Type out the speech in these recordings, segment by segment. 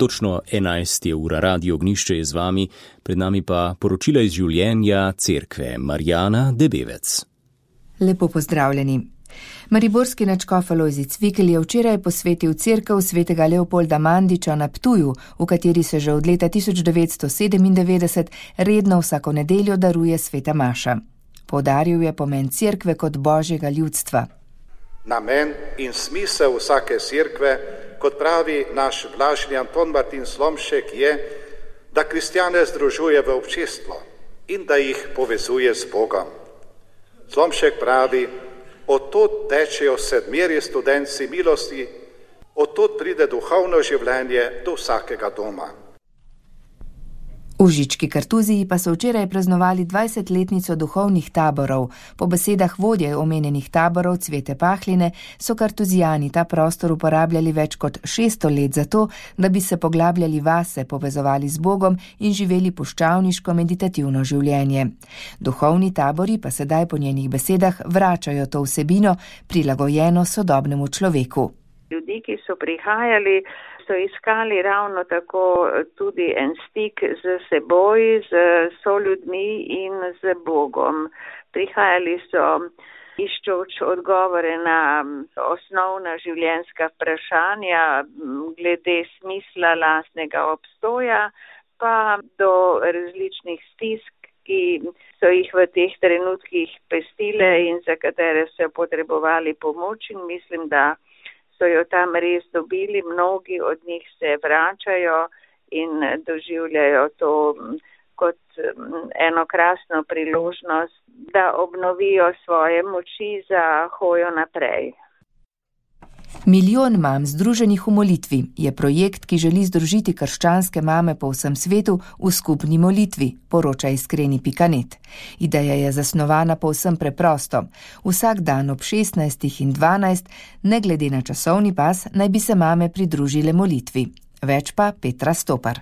Točno 11 je ura, Radio Ognjišče je z vami, pred nami pa poročila iz življenja cerkve. Marjana Debevec. Lepo pozdravljeni. Mariborski nadškof Alojzij Cvikl je včeraj posvetil cerkev svetega Leopolda Mandiča na Ptuju, v kateri se že od leta 1997 redno vsako nedeljo daruje sveta maša. Poudaril je pomen cerkve kot božjega ljudstva. Namen in smisel vsake cerkve, kot pravi naš blaženi Anton Martin Slomšek, je, da kristjane združuje v občestvo in da jih povezuje z Bogom. Slomšek pravi, odtod tečejo sedmeri studenci milosti, odtod pride duhovno življenje do vsakega doma. V Žički Kartuziji pa so včeraj praznovali 20-letnico duhovnih taborov. Po besedah vodje omenjenih taborov Cvete Pahline so kartuzijani ta prostor uporabljali več kot 600 let za to, da bi se poglabljali vase, povezovali z Bogom in živeli puščavniško meditativno življenje. Duhovni tabori pa sedaj po njenih besedah vračajo to vsebino, prilagojeno sodobnemu človeku. Ljudi, ki so prihajali, so iskali ravno tako tudi en stik z seboj, z soljudmi in z Bogom. Prihajali so iščoč odgovore na osnovna življenjska vprašanja glede smisla lastnega obstoja, pa do različnih stisk, ki so jih v teh trenutkih pestile in za katere so potrebovali pomoč, in mislim, da so jo tam res dobili, mnogi od njih se vračajo in doživljajo to kot eno krasno priložnost, da obnovijo svoje moči za hojo naprej. Milijon mam združenih v molitvi je projekt, ki želi združiti krščanske mame po vsem svetu v skupni molitvi, poroča iskreni.net. Ideja je zasnovana povsem preprosto. Vsak dan ob 16 in 12, ne glede na časovni pas, naj bi se mame pridružile molitvi. Več pa Petra Stopar.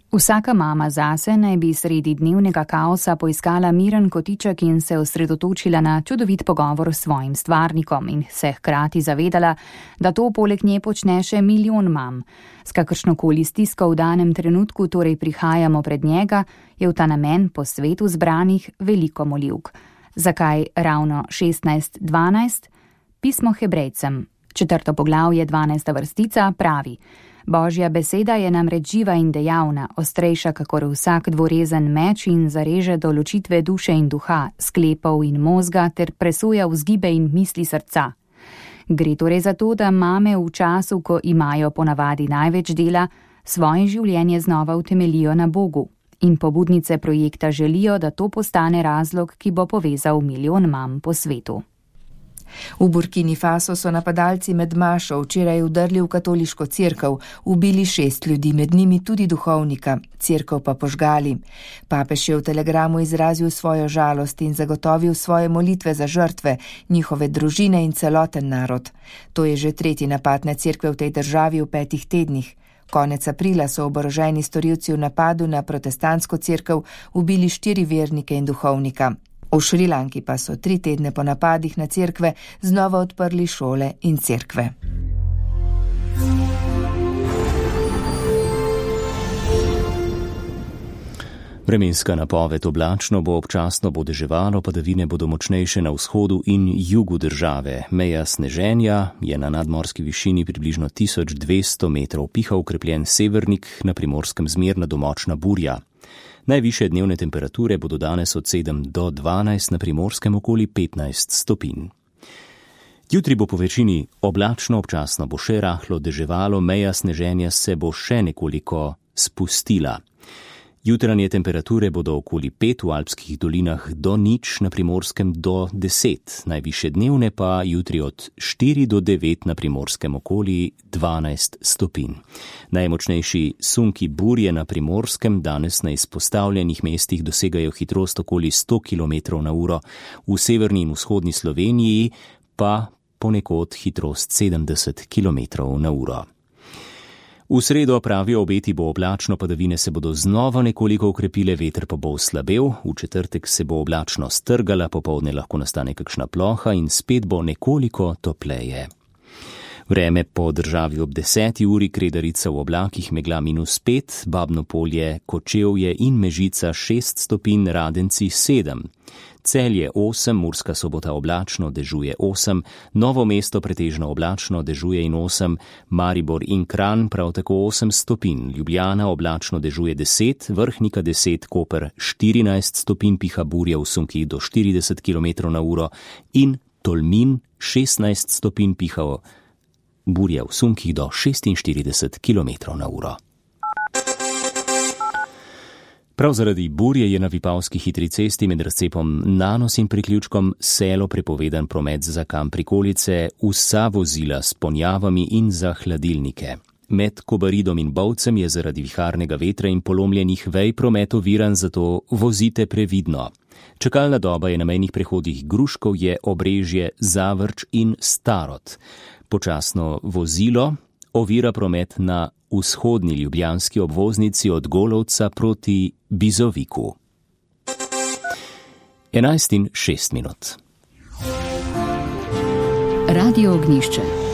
Vsaka mama zase naj bi sredi dnevnega kaosa poiskala miren kotiček in se osredotočila na čudovit pogovor s svojim stvarnikom in se hkrati zavedala, da to poleg nje počne še milijon mam. S kakršnokoli stisko v danem trenutku torej prihajamo pred njega, je v ta namen po svetu zbranih veliko molivk. Zakaj ravno 16:12? Pismo Hebrejcem, 4. poglavje, 12. vrstica pravi: Božja beseda je namreč živa in dejavna, ostrejša kakor vsak dvorezen meč in zareže do ločitve duše in duha, sklepov in možga ter presoja vzgibe in misli srca. Gre torej za to, da mame v času, ko imajo ponavadi največ dela, svoje življenje znova utemeljijo na Bogu. In pobudnice projekta želijo, da to postane razlog, ki bo povezal milijon mam po svetu. V Burkini Faso so napadalci med mašo včeraj vdrli v katoliško cerkev, ubili 6 ljudi, med njimi tudi duhovnika, cerkev pa požgali. Papež je v telegramu izrazil svojo žalost in zagotovil svoje molitve za žrtve, njihove družine in celoten narod. To je že 3. napad na cerkve v tej državi v 5 tednih. Konec aprila so oboroženi storilci v napadu na protestantsko cerkev ubili 4 vernike in duhovnika. V Šrilanki pa so 3 tedne po napadih na cerkve znova odprli šole in cerkve. Vremenska napoved: oblačno bo, občasno bo deževalo, padavine bodo močnejše na vzhodu in jugu države. Meja sneženja je na nadmorski višini približno 1200 metrov, piha okrepljen severnik, na Primorskem zmerna do močna burja. Najvišje dnevne temperature bodo danes od 7 do 12, na Primorskem okoli 15 stopinj. Jutri bo po večini oblačno, občasno bo še rahlo deževalo, meja sneženja se bo še nekoliko spustila. Jutranje temperature bodo okoli 5, v alpskih dolinah do 0, na Primorskem do 10, najvišje dnevne pa jutri od 4 do 9, na Primorskem okoli 12 stopinj. Najmočnejši sunki burje na Primorskem danes na izpostavljenih mestih dosegajo hitrost okoli 100 km/h, v severni in vzhodni Sloveniji pa ponekod hitrost 70 km/h. V sredo, pravijo obeti, bo oblačno, padavine se bodo znova nekoliko okrepile, veter pa bo oslabel, v četrtek se bo oblačno strgala, popoldne lahko nastane kakšna ploha in spet bo nekoliko topleje. Vreme po državi ob 10. uri, Kredarica v oblakih, megla -5, Babno Polje, Kočevje in Mežica 6 stopinj, Radenci 7. Celje 8, Murska Sobota oblačno, dežuje 8, Novo mesto pretežno oblačno, dežuje in 8, Maribor in Kranj prav tako 8 stopinj, Ljubljana oblačno, dežuje 10, Vrhnika 10, Koper 14 stopinj, piha burja v sunkih do 40 km/h in Tolmin 16 stopinj, piha burja v sunkih do 46 km/h. Prav zaradi burje je na Vipavski hitri cesti med razcepom Nanos in priključkom Selo prepovedan promet za kam prikolice, vsa vozila s ponjavami in za hladilnike. Med Kobaridom in Bovcem je zaradi viharnega vetra in polomljenih vej promet oviran, zato vozite previdno. Čakalna doba je na mejnih prehodih Gruškovje, Obrežje, Zavrč in Starod. Počasno vozilo ovira promet na vzhodni ljubljanski obvoznici od Golovca proti Bizoviku. 11:06. Radio Ognjišče.